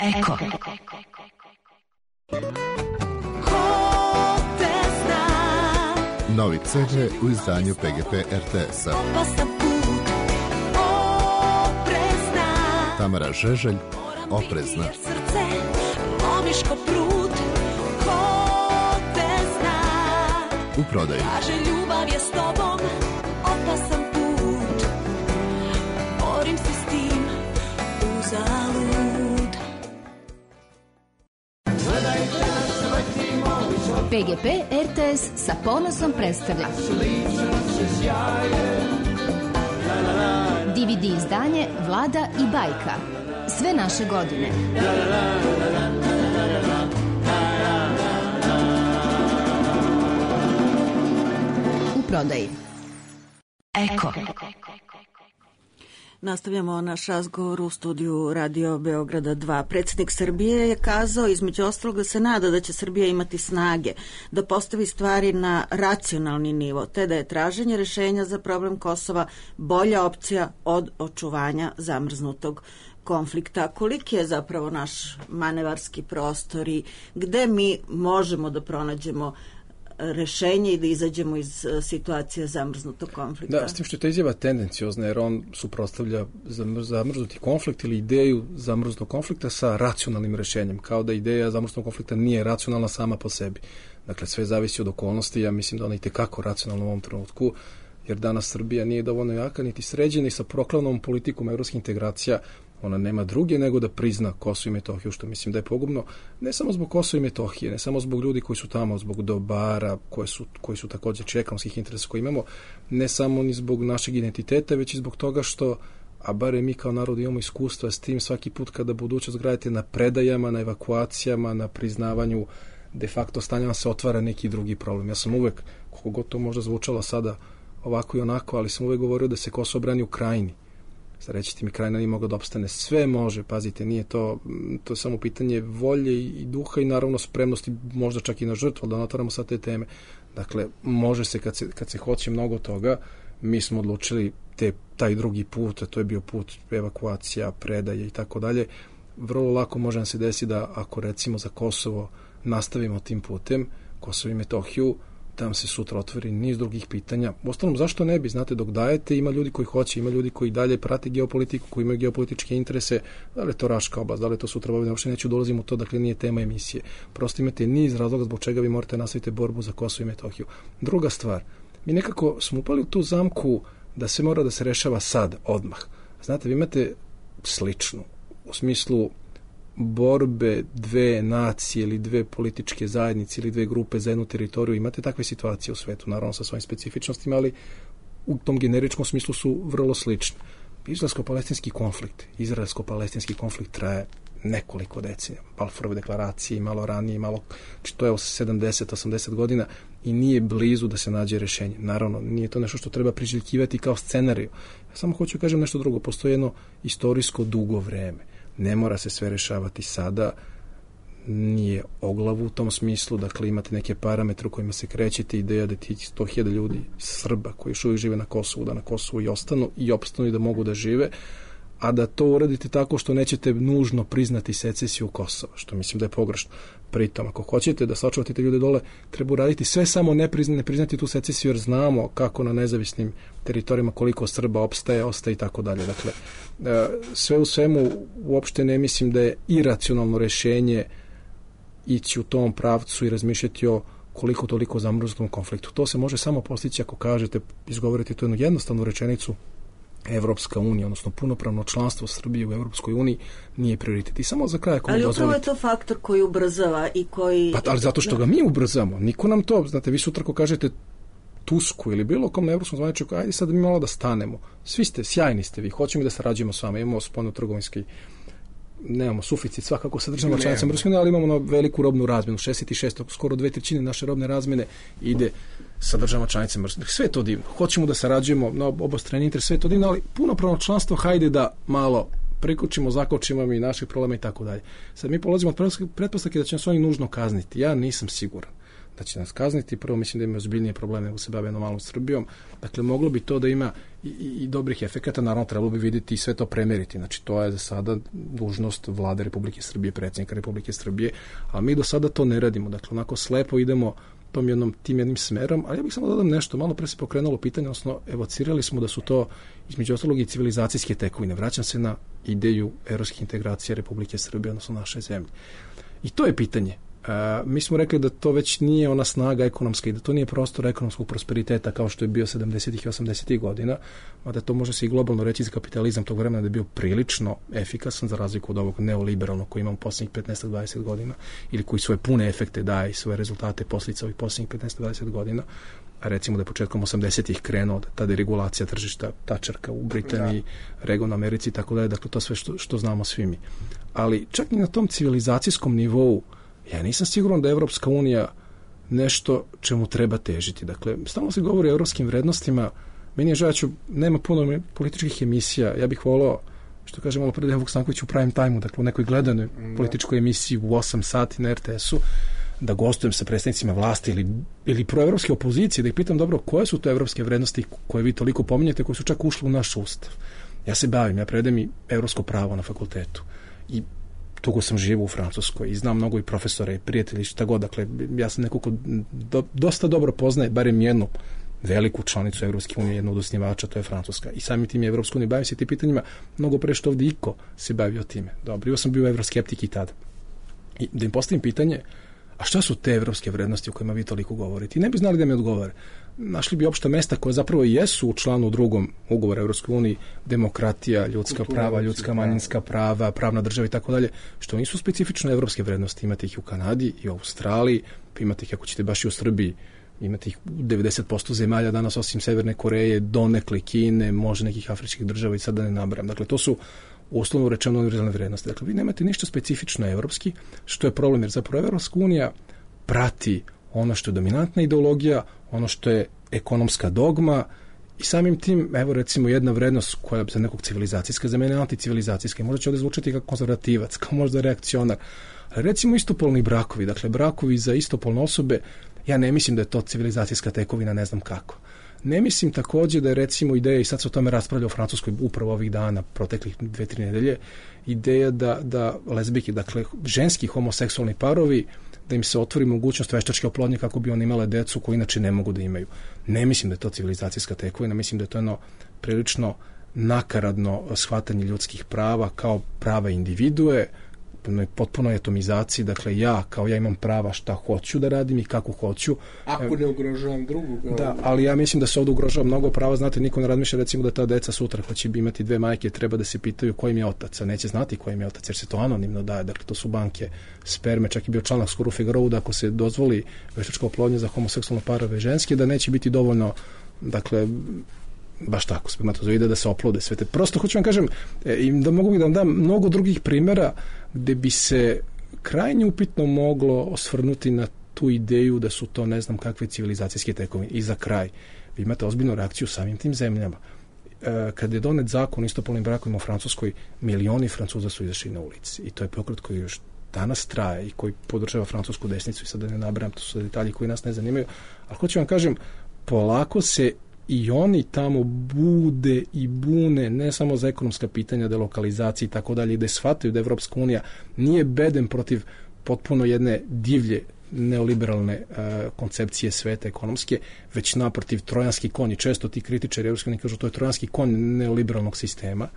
Eko. Novi CD u izdanju PGP RTS-a. Tamara Žeželj, Oprezna. U prodaju. Ljubav je s tobom, opasan put. Borim se s tim, uzalud. PGP RTS sa ponosom predstavlja DVD izdanje Vlada i bajka. Sve naše godine. U prodaji. Eko. Nastavljamo naš razgovor u studiju Radio Beograda 2. Predsjednik Srbije je kazao između ostalog da se nada da će Srbija imati snage da postavi stvari na racionalni nivo, te da je traženje rešenja za problem Kosova bolja opcija od očuvanja zamrznutog konflikta. Koliki je zapravo naš manevarski prostor i gde mi možemo da pronađemo rešenje i da izađemo iz situacije zamrznutog konflikta? Da, s tim što je ta izjava tendenciozna, jer on suprotstavlja zamrznuti konflikt ili ideju zamrznutog konflikta sa racionalnim rešenjem, kao da ideja zamrznutog konflikta nije racionalna sama po sebi. Dakle, sve zavisi od okolnosti, ja mislim da ona i tekako racionalna u ovom trenutku, jer danas Srbija nije dovoljno jaka, niti sređena i sa proklavnom politikom evropskih integracija ona nema druge nego da prizna Kosovo i Metohiju, što mislim da je pogubno, ne samo zbog Kosova i Metohije, ne samo zbog ljudi koji su tamo, zbog dobara koji su također ekonomskih interesa koje imamo, ne samo ni zbog našeg identiteta, već i zbog toga što, a bare mi kao narod imamo iskustva s tim svaki put kada budućnost gradite na predajama, na evakuacijama, na priznavanju de facto stanja, se otvara neki drugi problem. Ja sam uvek, koliko god to možda zvučalo sada ovako i onako, ali sam uvek govorio da se Kosovo brani u Krajini. Sad rećete mi, Krajina nije mogla da opstane. Sve može, pazite, nije to je samo pitanje volje i duha i naravno spremnosti, možda čak i na žrtvu, da otvaramo sad te teme. Dakle, može se kad se hoće mnogo toga. Mi smo odlučili taj drugi put, a to je bio put evakuacija, predaje i tako dalje. Vrlo lako može nam se desiti da ako recimo za Kosovo nastavimo tim putem, Kosovo i Metohiju, tam se sutra otvori niz drugih pitanja. Uostalom, zašto ne bi? Znate, dok dajete, ima ljudi koji hoće, ima ljudi koji dalje prate geopolitiku, koji imaju geopolitičke interese, da li je to Raška oblast, da li je to sutra Vojvodina, uopšte neću dolazim u to, dakle nije tema emisije. Prosto imate niz razloga zbog čega vi morate nastaviti borbu za Kosovo i Metohiju. Druga stvar, mi nekako smo upali u tu zamku da se mora da se rešava sad, odmah. Znate, vi imate sličnu, u smislu borbe dve nacije ili dve političke zajednice ili dve grupe za jednu teritoriju. Imate takve situacije u svetu, naravno sa svojim specifičnostima, ali u tom generičkom smislu su vrlo slične. Izraelsko-palestinski konflikt traje nekoliko decenija. Balfourove deklaracije, malo ranije, to je 70-80 godina i nije blizu da se nađe rešenje. Naravno, nije to nešto što treba priželjkivati kao scenariju. Ja samo hoću kažem nešto drugo. Postoji jedno istorijsko dugo vreme. Ne mora se sve rešavati sada, nije oglavu u tom smislu, dakle imate neke parametre u kojima se krećete, ideja da ti 100.000 ljudi Srba koji još uvijek žive na Kosovu, da na Kosovu i ostanu i opstanu i da mogu da žive, a da to uradite tako što nećete nužno priznati secesiju Kosova, što mislim da je pogrešno. Pritom, ako hoćete da sačuvate te ljude dole, treba uraditi sve samo ne priznati tu secesiju, jer znamo kako na nezavisnim teritorijama koliko Srba ostaje i tako dalje. Dakle, sve u svemu uopšte ne mislim da je iracionalno rešenje ići u tom pravcu i razmišljati o koliko toliko zamrznutom konfliktu. To se može samo postići ako kažete, izgovorite tu jednu jednostavnu rečenicu: Evropska unija, odnosno punopravno članstvo Srbije u Evropskoj uniji nije prioritet. I samo za kraj, ako mi dozvolite. Ali upravo je to faktor koji ubrzava i koji... Ali zato što ga mi ubrzamo. Niko nam to, znate, vi sutra ko kažete Tusku ili bilo kom na evropskom zvaničniku, ajde sad mi malo da stanemo. Svi ste, sjajni ste vi, hoćemo da sarađujemo s vama, imamo spoljno-trgovinski, nemamo suficit svakako sa državama članicama Evropske unije, ali imamo veliku robnu razmjenu, 66, skoro 2/3 naše robne razmjene ide sa državama članicama. Sve je to divno. Hoćemo da sarađujemo na obostrani interes, sve je to divno, ali punopravno članstvo, hajde da malo prikočimo, zakočimo mi naših problema i tako dalje. Sad mi polazimo od pretpostavke da će nas oni nužno kazniti. Ja nisam siguran. da će nas kazniti. Prvo, mislim da ima ozbiljnije probleme nego se bave jednom malom Srbijom. Dakle, moglo bi to da ima i dobrih efekata, naravno trebalo bi vidjeti i sve to premeriti. Znači, to je za sada dužnost Vlade Republike Srbije, predsjednika Republike Srbije, a mi do sada to ne radimo. Dakle, onako slepo idemo tim jednim smerom, ali ja bih samo dodam nešto, malo pre se pokrenulo pitanje, odnosno evocirali smo da su to između ostalog i civilizacijske tekovine. Vraćam se na ideju evropskih integracija Republike Srbije, odnosno naše zemlje. I to je pitanje. Mi smo rekli da to već nije ona snaga ekonomska i da to nije prostor ekonomskog prosperiteta kao što je bio 70. i 80. godina, mada to može se i globalno reći za kapitalizam tog vremena da je bio prilično efikasan za razliku od ovog neoliberalnog koji imamo posljednjih 15-20 godina ili koji svoje pune efekte daje i svoje rezultate posljedica ovih posljednjih 15-20 godina. A recimo da je početkom 80-ih krenuo ta deregulacija tržišta, Tačerka u Britaniji, Reagan u Americi i tako dalje, dakle to sve što znamo svi mi. Ali čak i na tom civilizacijskom nivou ja nisam siguran da je Evropska unija nešto čemu treba težiti. Dakle, stalno se govori o evropskim vrednostima. Meni je žao, nema puno političkih emisija. Ja bih volao, što kaže malo pre Dejan Vuksanković u prime time-u, dakle u nekoj gledanoj političkoj emisiji u 8 sati na RTS-u, da gostujem sa predstavnicima vlasti ili proevropske opozicije, da ih pitam dobro koje su to evropske vrednosti koje vi toliko pominjete, koje su čak ušle u naš ustav. Ja se bavim, ja predajem i evropsko pravo na fakultetu. I dugo sam živo u Francuskoj i znam mnogo i profesora i prijatelji, šta god. Dakle, ja sam neko ko dosta dobro poznaje barem jednu veliku članicu Evropske unije, jednu od osnivača, to je Francuska. I samim tim je Evropska unija, bavim se tim pitanjima mnogo pre što ovdje iko se bavio time. Dobro, ja sam bio evroskeptik i tada. I da im postavim pitanje, a šta su te evropske vrednosti o kojima vi toliko govorite? I ne bi znali da mi odgovore. Našli bi opšta mesta koje zapravo jesu u članu 2. ugovora Evropskoj uniji, demokratija, ljudska prava, ljudska manjinska prava, pravna država i tako dalje, što nisu specifično evropske vrednosti. Imate ih u Kanadi i u Australiji, imate ih ako ćete baš i u Srbiji, imate ih u 90% zemalja danas osim Severne Koreje, donekle Kine, može nekih afričkih država i sad da ne nabrajam. Dakle, to su uslovno rečeno univerzalne vrednosti. Dakle, vi nemate ništa specifično evropski, što je problem, jer zapravo Evropska unija prati ono što je dominantna ideologija, ono što je ekonomska dogma i samim tim, evo recimo jedna vrednost koja je za nekog civilizacijska, za mene anticivilizacijska, možda će ovdje zvučati kao konzervativac, kao možda reakcionar, ali recimo istopolni brakovi, dakle brakovi za istopolne osobe, ja ne mislim da je to civilizacijska tekovina, ne znam kako. Ne mislim također da je recimo ideja, i sad se o tome raspravlja u Francuskoj upravo ovih dana, proteklih 2-3 nedelje, ideja da lezbijke, dakle ženski homoseksualni parovi, da im se otvori mogućnost veštačke oplodnje kako bi one imale decu koju inače ne mogu da imaju. Ne mislim da je to civilizacijska tekovina, mislim da je to jedno prilično nakaradno shvatanje ljudskih prava kao prava individue, potpuno atomizaciji, dakle ja imam prava šta hoću da radim i kako hoću. Ako ne ugrožavam drugog. Da, ali ja mislim da se ovdje ugrožava mnogo prava, znate, niko ne razmišlja recimo da ta deca sutra hoće imati 2 majke, treba da se pitaju kojim je otac, a neće znati kojim je otac, jer se to anonimno daje, dakle to su banke sperme, čak i bio članak skoro u Figarovu da ako se dozvoli veštačka oplodnja za homoseksualne parove ženske, da neće biti dovoljno, dakle baš tako, spermatozoide da se oplode sve te. Prosto hoću vam kažem, da mogu da vam dam mnogo drugih primjera gde bi se krajnje upitno moglo osvrnuti na tu ideju da su to ne znam kakve civilizacijske tekovine. I za kraj, vi imate ozbiljnu reakciju samim tim zemljama. Kad je donet zakon o istopolnim brakovima u Francuskoj, milioni Francuza su izašli na ulici. I to je pokret koji još danas traje i koji podržava francusku desnicu i sad da ne nabrajam, to su detalji koji nas ne zanimaju. Ali hoću vam kažem, polako se i oni tamo bude i bune ne samo za ekonomska pitanja, delokalizacije i tako dalje, da shvataju da Evropska unija nije bedem protiv potpuno jedne divlje neoliberalne koncepcije sveta ekonomske, već naprotiv trojanski konj. Često ti kritičari Evropske unije kažu to je trojanski konj neoliberalnog sistema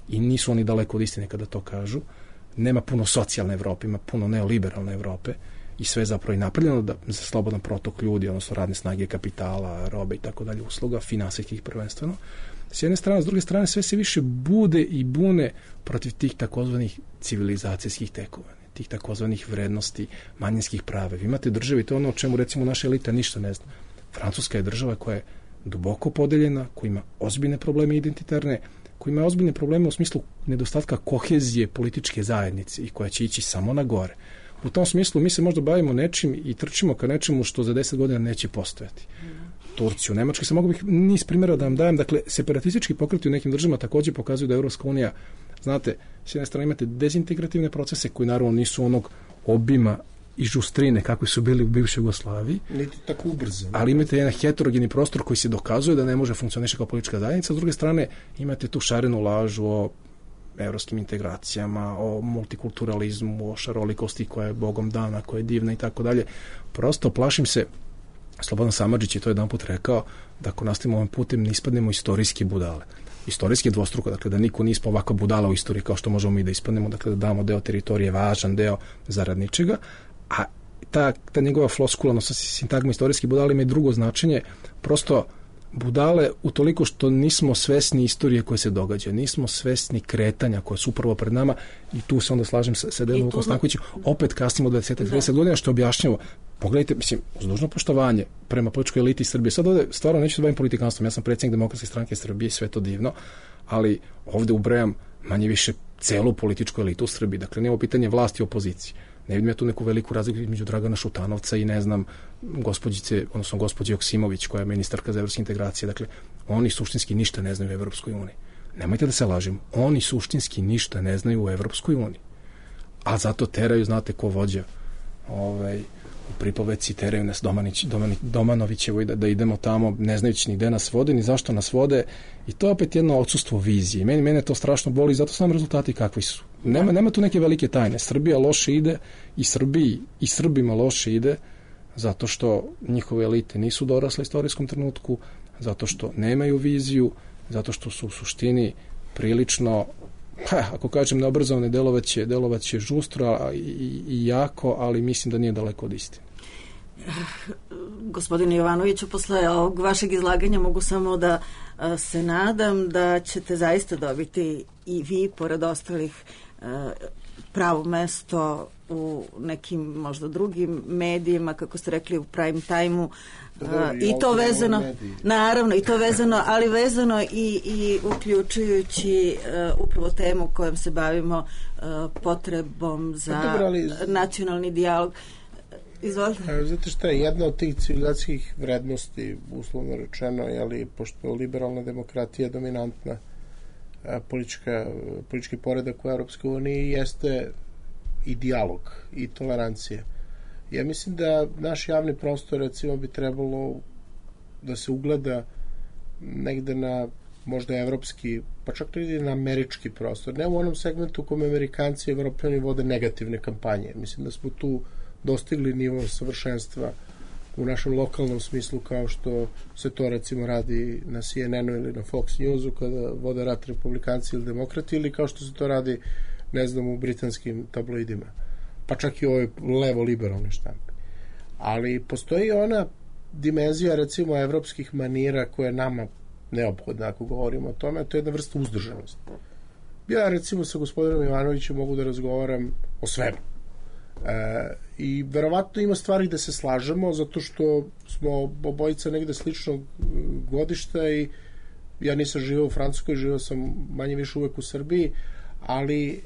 i nisu oni daleko od istine kada to kažu. Nema puno socijalne Evrope, ima puno neoliberalne Evrope i sve zapravo i napravljeno za slobodan protok ljudi, odnosno radne snage, kapitala, robe i tako dalje, usluga, finansijskih prvenstveno. S jedne strane, s druge strane, sve se više bude i bune protiv tih takozvanih civilizacijskih tekovina, tih takozvanih vrednosti, manjinskih prava. Vi imate državi, to je ono o čemu recimo naša elita ništa ne zna. Francuska je država koja je duboko podeljena, koja ima ozbiljne probleme identitarne, koja ima ozbiljne probleme u smislu nedostatka kohezije političke zajednice i koja će ići samo na gore. U tom smislu mi se možda bavimo nečim i trčimo ka nečemu što za 10 godina neće postojati. Turciju, Nemačku, se mogu bih niz primjera da vam dajem. Dakle, separatistički pokreti u nekim državama također pokazuju da Evropska unija, znate, s jedne strane imate dezintegrativne procese koji naravno nisu onog obima i žustrine kakvi su bili u bivšoj Jugoslaviji. Niti tako ubrzo. Ali imate jedan heterogeni prostor koji se dokazuje da ne može funkcionirati kao politička zajednica. S druge strane, imate tu šarenu lažu o evropskim integracijama, o multikulturalizmu, o šarolikosti koja je Bogom dana, koja je divna i tako dalje. Prosto plašim se, Slobodan Samardžić je to jedan put rekao, da ako nastavimo ovim putem ne ispadnemo istorijski budale. Istorijski je dvostruko, dakle da niko nije ispao ovako budala u istoriji kao što možemo mi da ispadnemo, dakle da damo deo teritorije, važan deo zarad ničega, a ta njegova floskula, odnosno sintagma istorijski budale ima i drugo značenje, prosto budale utoliko što nismo svesni istorije koje se događa, nismo svesni kretanja koje su upravo pred nama i tu se onda slažem sa Dejanom Kostankovićem, opet kasnimo 20-30 godina što objašnjamo. Pogledajte, mislim, uz dužno poštovanje prema političkoj eliti Srbije. Sad ovde stvarno neću se bavim politikanstvom, ja sam predsjednik Demokratske stranke Srbije i sve to divno, ali ovde ubrajam manje više celu političku elitu u Srbiji. Dakle, nema pitanje vlasti i opozicije. Ne vidim ja tu neku veliku razliku između Dragana Šutanovca i ne znam gospođe Joksimović koja je ministarka za evropske integracije. Dakle, oni suštinski ništa ne znaju u Evropskoj uniji. Nemojte da se lažemo. Oni suštinski ništa ne znaju u Evropskoj uniji. A zato teraju, znate ko vođa u pripoveci, teraju nas Domanovićevo da idemo tamo, ne znajući ni gde nas vode, ni zašto nas vode. I to je opet jedno odsustvo vizije. Mene to strašno boli, zato su nam rezultati kakvi su. Nema tu neke velike tajne. Srbija loše ide i Srbima loše ide zato što njihove elite nisu dorasle istorijskom trenutku, zato što nemaju viziju, zato što su u suštini prilično, ako kažem neobrazovane, delovaće žustro i jako, ali mislim da nije daleko od istine. Gospodine Jovanoviću, posle ovog vašeg izlaganja mogu samo da se nadam da ćete zaista dobiti i vi, pored ostalih, pravo mesto u nekim možda drugim medijima, kako ste rekli, u prime time-u, i to vezano, naravno, i to vezano, ali vezano i uključujući upravo temu kojom se bavimo, potrebom za nacionalni dijalog. Izvolite. Znate šta je, jedna od tih civilizacijskih vrednosti, uslovno rečeno, pošto liberalna demokratija je dominantna politički poredak u Europskoj uniji, jeste i dijalog i tolerancija. Ja mislim da naš javni prostor, recimo, bi trebalo da se ugleda negde na možda evropski, pa čak i na američki prostor. Ne u onom segmentu u kome Amerikanci i Evropljani vode negativne kampanje. Mislim da smo tu dostigli nivo savršenstva u našem lokalnom smislu, kao što se to recimo radi na CNN-u ili na Fox Newsu kada vode rat republikanci ili demokrati, ili kao što se to radi, ne znam, u britanskim tabloidima, pa čak i ovoj levo-liberalne štampe. Ali postoji ona dimenzija, recimo, evropskih manira koja je nama neophodna ako govorimo o tome, a to je jedna vrsta uzdržanosti. Ja, recimo, sa gospodinom Jovanovićem mogu da razgovaram o svemu. I verovatno ima stvari da se slažemo, zato što smo obojica negde sličnog godišta i ja nisam živeo u Francuskoj, živeo sam manje više uvek u Srbiji, ali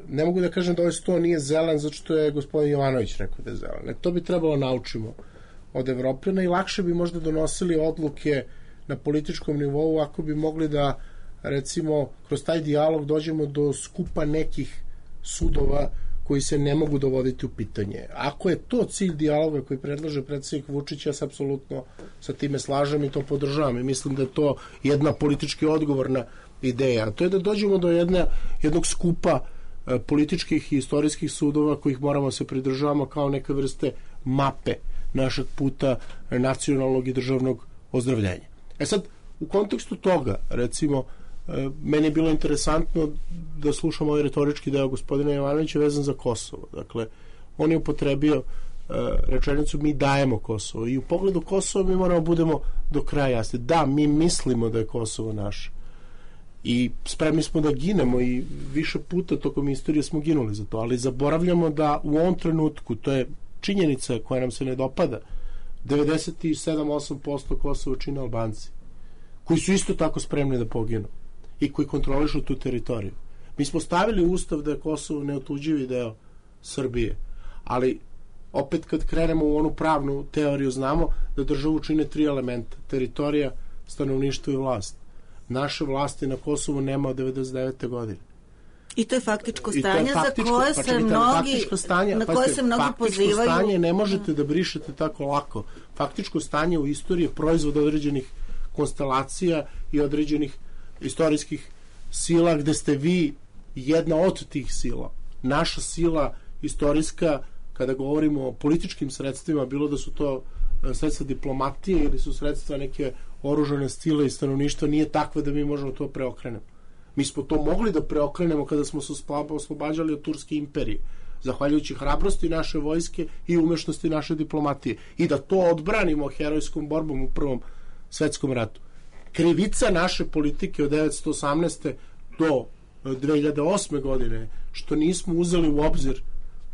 ne mogu da kažem da ovaj sto nije zelan zato što je gospodin Jovanović rekao da je zelan. To bi trebalo naučimo od Evropljana i lakše bi možda donosili odluke na političkom nivou ako bi mogli da, recimo, kroz taj dijalog dođemo do skupa nekih sudova koji se ne mogu dovoditi u pitanje. Ako je to cilj dijaloga koji predlaže predsjednik Vučić, ja se apsolutno sa time slažem i to podržavam i mislim da je to jedna politički odgovorna ideja. A to je da dođemo do jednog skupa političkih i istorijskih sudova kojih moramo se pridržavamo kao neke vrste mape našeg puta nacionalnog i državnog ozdravljenja. Sad, u kontekstu toga, recimo, meni je bilo interesantno da slušam ovaj retorički deo gospodina Jovanovića vezan za Kosovo. Dakle, on je upotrebio rečenicu mi dajemo Kosovo i u pogledu Kosova mi moramo budemo do kraja jasni. Da, mi mislimo da je Kosovo naše i spremni smo da ginemo i više puta tokom istorije smo ginuli za to, ali zaboravljamo da u ovom trenutku, to je činjenica koja nam se ne dopada, 97-8% Kosova čine Albanci, koji su isto tako spremni da poginu i koji kontrolišu tu teritoriju. Mi smo stavili u ustav da je Kosovo neotuđivi deo Srbije, ali opet kad krenemo u onu pravnu teoriju znamo da državu čine 3 elementa: teritorija, stanovništvo i vlast. Naše vlasti na Kosovu nema od 99. godine. I to je faktičko stanje za koje se mnogi pozivaju. Faktičko stanje ne možete da brišete tako lako. Faktičko stanje u istoriji je proizvod određenih konstelacija i određenih istorijskih sila gde ste vi jedna od tih sila. Naša sila istorijska, kada govorimo o političkim sredstvima, bilo da su to sredstva diplomatije ili su sredstva neke oružane sile i stanovništva, nije takva da mi možemo to preokrenemo. Mi smo to mogli da preokrenemo kada smo se oslobađali od Turske imperije, zahvaljujući hrabrosti naše vojske i umešnosti naše diplomatije. I da to odbranimo herojskom borbom u Prvom svetskom ratu. Krivica naše politike od 1918. do 2008. godine, što nismo uzeli u obzir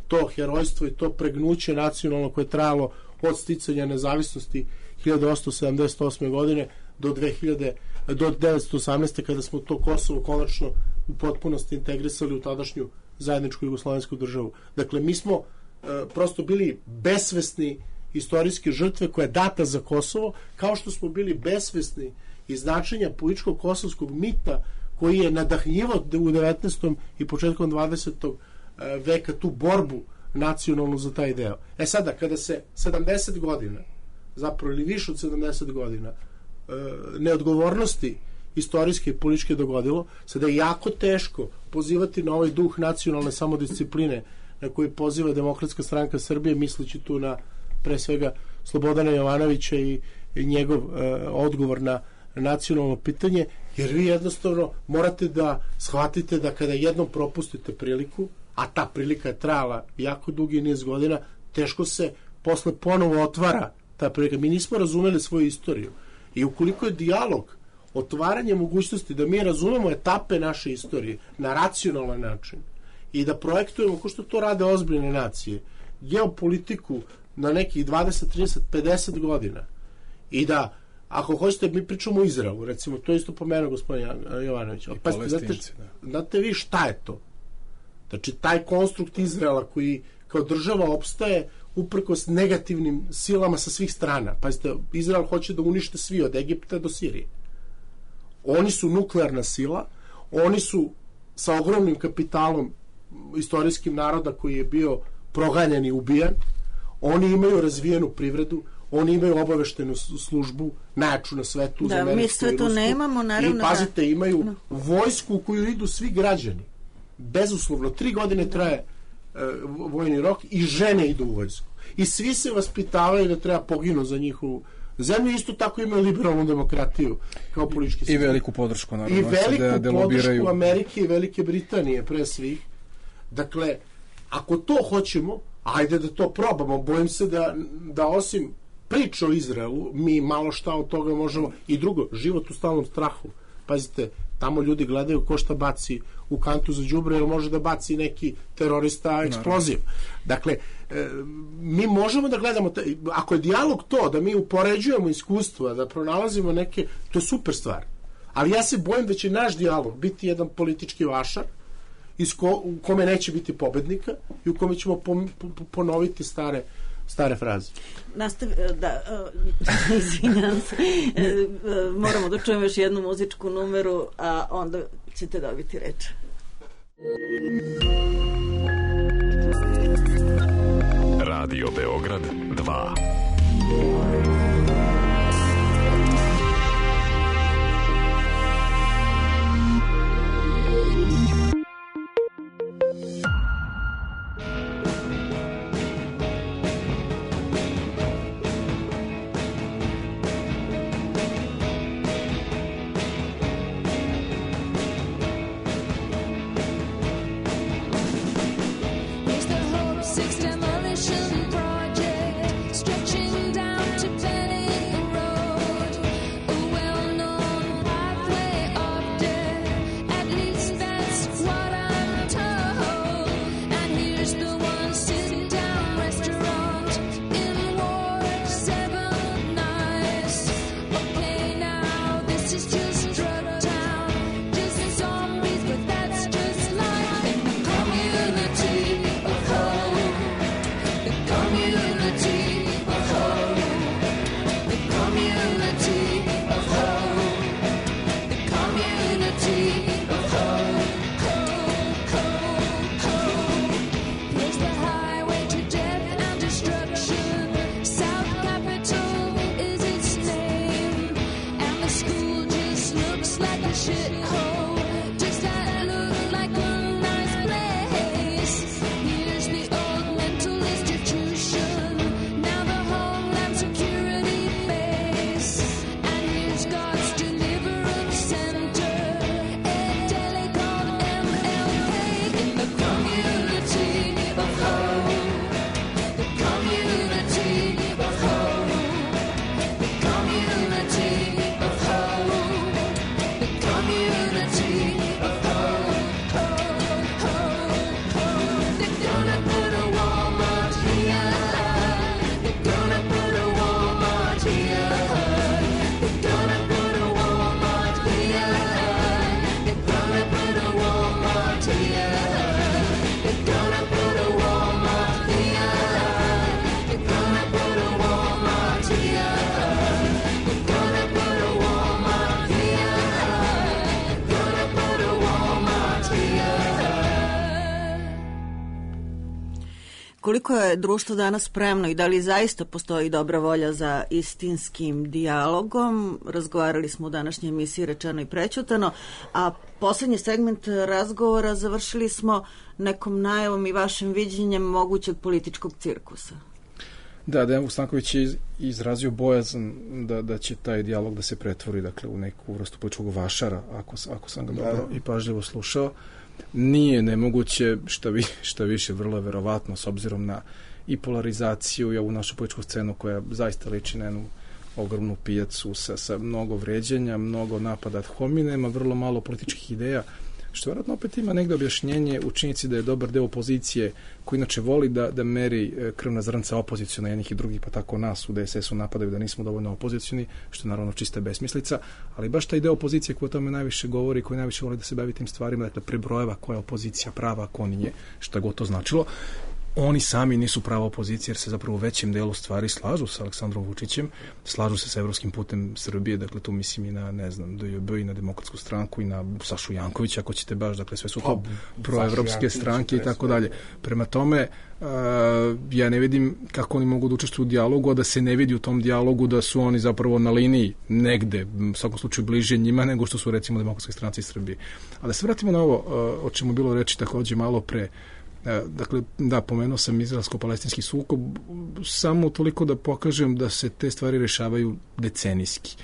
to herojstvo i to pregnuće nacionalno koje je trajalo od sticanja nezavisnosti 1878. godine do 1918. kada smo to Kosovo konačno u potpunosti integrisali u tadašnju zajedničku jugoslovensku državu. Dakle, mi smo prosto bili besvesni istorijske žrtve koja je data za Kosovo, kao što smo bili besvesni iz značenja političkog kosovskog mita koji je nadahnjivao u 19. i početkom 20. veka tu borbu nacionalnu za taj deo. Sada, kada se 70 godina, zapravo ili više od 70 godina, neodgovornosti istorijske i političke dogodilo, sada je jako teško pozivati na ovaj duh nacionalne samodiscipline na koji poziva Demokratska stranka Srbije, misleći tu na pre svega Slobodana Jovanovića i njegov odgovor na nacionalno pitanje, jer vi jednostavno morate da shvatite da kada jednom propustite priliku, a ta prilika je trajala jako dugi niz godina, teško se posle ponovo otvara ta prilika. Mi nismo razumeli svoju istoriju. I ukoliko je dijalog, otvaranje mogućnosti da mi razumemo etape naše istorije na racionalan način i da projektujemo, ko što to rade ozbiljne nacije, geopolitiku na nekih 20, 30, 50 godina i da, ako hoćete, mi pričamo o Izraelu, recimo, to je isto pomenuo gospodin Jovanović. Pa, znate vi šta je to? Znači, taj konstrukt Izraela koji kao država opstaje uprkos negativnim silama sa svih strana. Pazite, Izrael hoće da unište svi od Egipta do Sirije. Oni su nuklearna sila, oni su sa ogromnim kapitalom istorijskim naroda koji je bio proganjan i ubijan, oni imaju razvijenu privredu, oni imaju obaveštenu službu, najjaču na svetu, da, mi sve to nemamo, naravno. I pazite, imaju vojsku u koju idu svi građani. Bezuslovno, 3 godine traje vojni rok i žene idu u vojsku. I svi se vaspitavaju da treba poginu za njihovu zemlju, isto tako imaju liberalnu demokratiju kao politički sistem. I veliku podršku, naravno. I veliku podršku Amerike i Velike Britanije, pre svih. Dakle, ako to hoćemo, ajde da to probamo. Bojim se da osim priče o Izraelu, mi malo šta od toga možemo. I drugo, život u stalnom strahu. Pazite, tamo ljudi gledaju ko šta baci u kantu za đubre, jer može da baci neki terorista eksploziv. Dakle, mi možemo da gledamo, ako je dijalog to, da mi upoređujemo iskustva, da pronalazimo neke, to je super stvar. Ali ja se bojim da će naš dijalog biti jedan politički vašar, u kome neće biti pobednika i u kome ćemo ponoviti stare fraze. Izvinjam se. Moramo da čujemo još jednu muzičku numeru, a onda ćete dobiti reč. Radio Beograd 2. Here's the Hope 6 demolition project, stretching down to Koliko je društvo danas spremno i da li zaista postoji dobra volja za istinskim dijalogom? Razgovarali smo u današnjoj emisiji Rečeno i prećutano, a poslednji segment razgovora završili smo nekom najavom i vašim viđenjem mogućeg političkog cirkusa. Da, Dejan Stanković je izrazio bojazan da će taj dijalog da se pretvori, dakle, u neku vrstu političkog vašara, ako sam ga dobro i pažljivo slušao. Nije nemoguće, šta više, vrlo je verovatno, s obzirom na i polarizaciju i ovu našu političku scenu koja zaista liči na jednu ogromnu pijacu sa mnogo vređanja, mnogo napada ad hominem, vrlo malo političkih ideja, što vjerojatno opet ima negde objašnjenje u činjenici da je dobar deo opozicije koji inače voli da meri krvna zrnca opoziciona jednih i drugih, pa tako nas u DSS-u napadaju da nismo dovoljno opozicioni, što je naravno čista besmislica, ali baš taj deo opozicije koji o tome najviše govori, koji najviše voli da se bavi tim stvarima, dakle prebrojeva koja je opozicija prava, a ko nije, šta god to značilo, oni sami nisu prava opozicija jer se zapravo u većem delu stvari slažu sa Aleksandrom Vučićem, slažu se sa evropskim putem Srbije, dakle tu mislim i na, ne znam, DJB i na Demokratsku stranku i na Sašu Jankovića, ako ćete baš, dakle sve su to proevropske stranke i tako dalje. Prema tome, ja ne vidim kako oni mogu da učestvuju u dijalogu, a da se ne vidi u tom dijalogu da su oni zapravo na liniji negde, u svakom slučaju bliže njima nego što su recimo Demokratske stranci Srbije. Ali da se vratimo na ovo o čemu je bilo reči takođe malo pre. Dakle, da, pomenuo sam izraelsko-palestinski sukob samo toliko da pokažem da se te stvari rešavaju decenijski.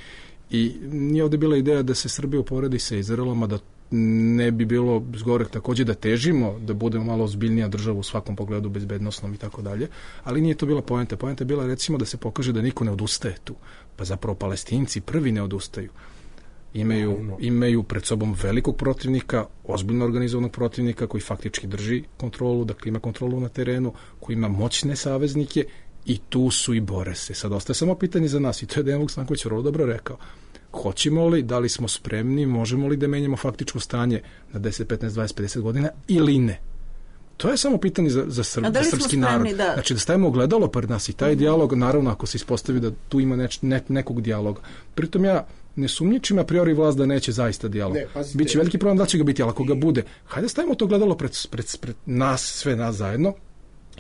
I nije ovde bila ideja da se Srbija uporedi sa Izraelom, a da ne bi bilo zgorek takođe da težimo, da budemo malo ozbiljnija država u svakom pogledu, bezbednosnom i tako dalje, ali nije to bila poenta. Poenta je bila recimo da se pokaže da niko ne odustaje tu. Pa zapravo Palestinci prvi ne odustaju. Imaju pred sobom velikog protivnika, ozbiljno organizovanog protivnika koji faktički drži kontrolu, dakle ima kontrolu na terenu, koji ima moćne saveznike i tu su i bore se. Sad ostaje samo pitanje za nas i to je Dejan Stanković vrlo dobro rekao. Hoćemo li, da li smo spremni, možemo li da menjamo faktičko stanje na 10, 15, 20, 50 godina ili ne? To je samo pitanje za srpski narod. Da. Znači da stavimo ogledalo pred nas i taj dijalog, naravno ako se ispostavi da tu ima nekog dijaloga. Pritom ja ne sumnjičim a priori vlast da neće zaista dijalog. Biće veliki problem da će ga biti, ali ako ga bude, hajde stavimo to gledalo pred nas, sve nas zajedno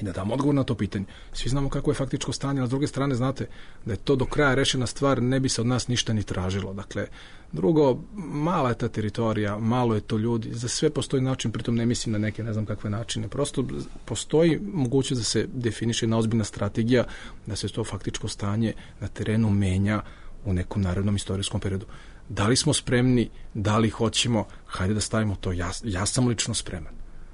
i da damo odgovor na to pitanje. Svi znamo kako je faktičko stanje, a s druge strane znate da je to do kraja rešena stvar, ne bi se od nas ništa ni tražilo. Dakle, drugo, mala je ta teritorija, malo je to ljudi, za sve postoji način, pritom ne mislim na neke ne znam kakve načine, prosto postoji mogućnost da se definiše jedna ozbiljna strategija, da se to faktičko stanje na terenu menja u nekom narednom istorijskom periodu. Da li smo spremni, da li hoćemo, hajde da stavimo to, ja sam lično spreman.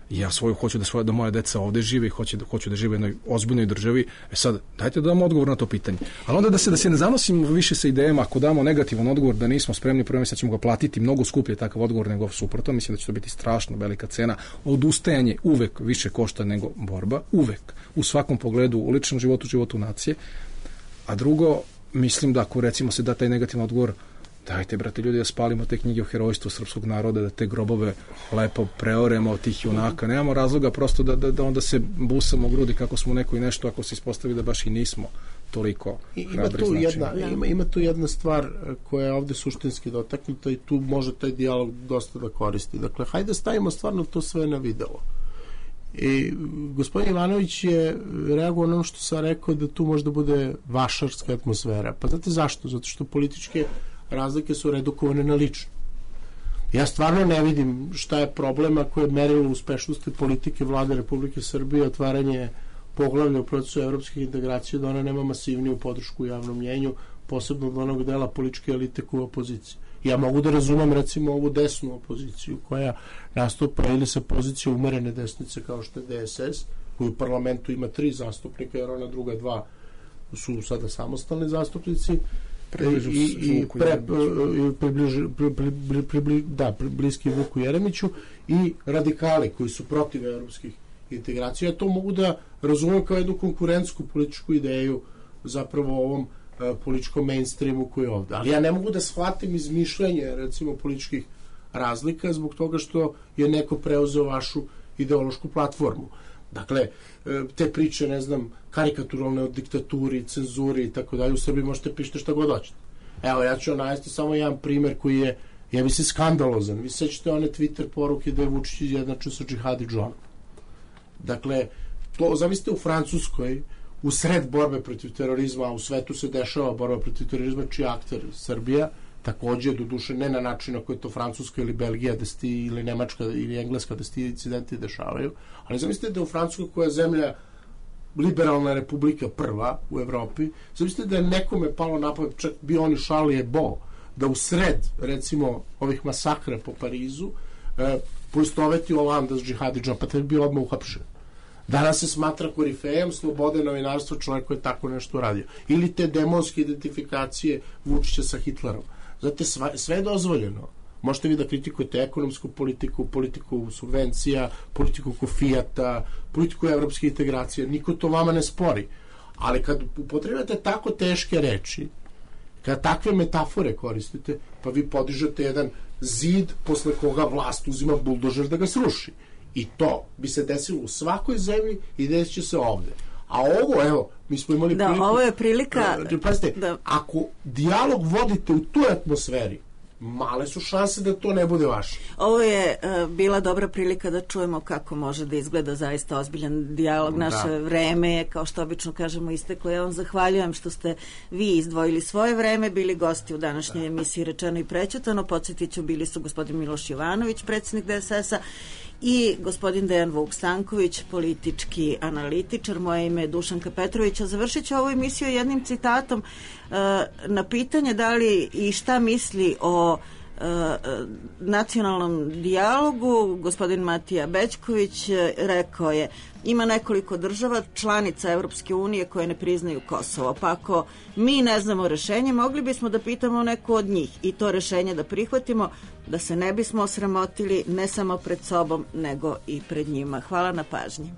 Ja svoju hoću da moja deca ovde žive i hoću da žive u jednoj ozbiljnoj državi. Sad, dajte da damo odgovor na to pitanje. Ali onda da se ne zanosimo više sa idejama, ako damo negativan odgovor da nismo spremni, prvo mislim da ćemo ga platiti mnogo skuplje takav odgovor nego suprotno. Mislim da će to biti strašno velika cena. Odustajanje uvek više košta nego borba. Uvek. U svakom pogledu, u ličnom životu, životu nacije. A drugo, mislim da ako recimo se da taj negativan odgovor, dajte, brate, ljudi, da spalimo te knjige o herojstvu srpskog naroda, da te grobove lepo preoremo od tih junaka. Nemamo razloga prosto da onda se busamo u grudi kako smo neko i nešto, ako se ispostavi da baš i nismo toliko hrabri značajni. Ima tu jedna stvar koja je ovde suštinski dotaknuta i tu može taj dijalog dosta da koristi. Dakle, hajde stavimo stvarno to sve na video. I gospodin Ivanović je reagovao na ono što sam rekao da tu možda bude vašarska atmosfera. Pa znate zašto? Zato što političke razlike su redukovane na lično. Ja stvarno ne vidim šta je problem ako je merilo uspešnosti politike vlade Republike Srbije otvaranje poglavlja u procesu evropskih integracija, da ona nema masivniju podršku u javnom mnjenju, posebno od onog dela političke elite koja je opozicija. Ja mogu da razumem recimo ovu desnu opoziciju koja nastupa ili sa pozicije umerene desnice kao što je DSS, koji u parlamentu ima 3 zastupnika jer ona druga 2 su sada samostalni zastupnici bliski Vuku Jeremiću i radikali koji su protiv evropskih integracija. Ja to mogu da razumem kao jednu konkurentsku političku ideju zapravo ovom političkom mainstreamu koji je ovde. Ali ja ne mogu da shvatim izmišljanje recimo političkih razlika zbog toga što je neko preuzeo vašu ideološku platformu. Dakle, te priče, ne znam, karikaturalne o diktaturi, cenzuri i tako dalje, u Srbiji možete pišete šta god hoćete. Evo, ja ću navesti samo jedan primer koji je, ja bi se skandalozan. Vi sećate one Twitter poruke da je Vučić izjednačio sa džihadi Džonom. Dakle, to zamislite u Francuskoj, u sred borbe protiv terorizma, a u svetu se dešava borba protiv terorizma, čiji akter Srbija, takođe, doduše ne na način na koji je to Francuska ili Belgija ili Nemačka ili Engleska da se ti incidenti dešavaju, ali zamislite da u Francuskoj, koja je zemlja liberalna republika prva u Evropi, zamislite da je nekome palo na pamet, čak bio oni Charlie Hebdo, da u sred, recimo, ovih masakra po Parizu poistoveti Olanda s džihadidžom, pa te bi bio odmah uhapšen. Danas se smatra korifejem slobode novinarstva čovjek koji je tako nešto radio. Ili te demonske identifikacije Vučića sa Hitlerom. Znate, sve je dozvoljeno. Možete vi da kritikujete ekonomsku politiku, politiku subvencija, politiku Fijata, politiku evropske integracije. Niko to vama ne spori. Ali kad upotrebujete tako teške reči, kad takve metafore koristite, pa vi podižete jedan zid posle koga vlast uzima buldožer da ga sruši. I to bi se desilo u svakoj zemlji i desit će se ovde. A ovo, evo, mi smo imali priliku... Da, ovo je prilika... Pazite, ako dijalog vodite u toj atmosferi, male su šanse da to ne bude vaše. Ovo je bila dobra prilika da čujemo kako može da izgleda zaista ozbiljan dijalog. Naše vreme je, kao što obično kažemo, isteklo. Ja vam zahvaljujem što ste vi izdvojili svoje vreme, bili gosti u današnjoj emisiji Rečeno i prećutano. Podsjetit ću, bili su gospodin Miloš Jovanović, predsjednik DSS-a, i gospodin Dejan Vuk-Stanković, politički analitičar. Moje ime je Dušanka Petrović. A završit ću ovu emisiju jednim citatom na pitanje da li i šta misli o nacionalnom dijalogu. Gospodin Matija Bećković rekao je: ima nekoliko država članica Evropske unije koje ne priznaju Kosovo, pa ako mi ne znamo rešenje, mogli bismo da pitamo neku od njih i to rešenje da prihvatimo, da se ne bismo osramotili ne samo pred sobom nego i pred njima. Hvala na pažnji.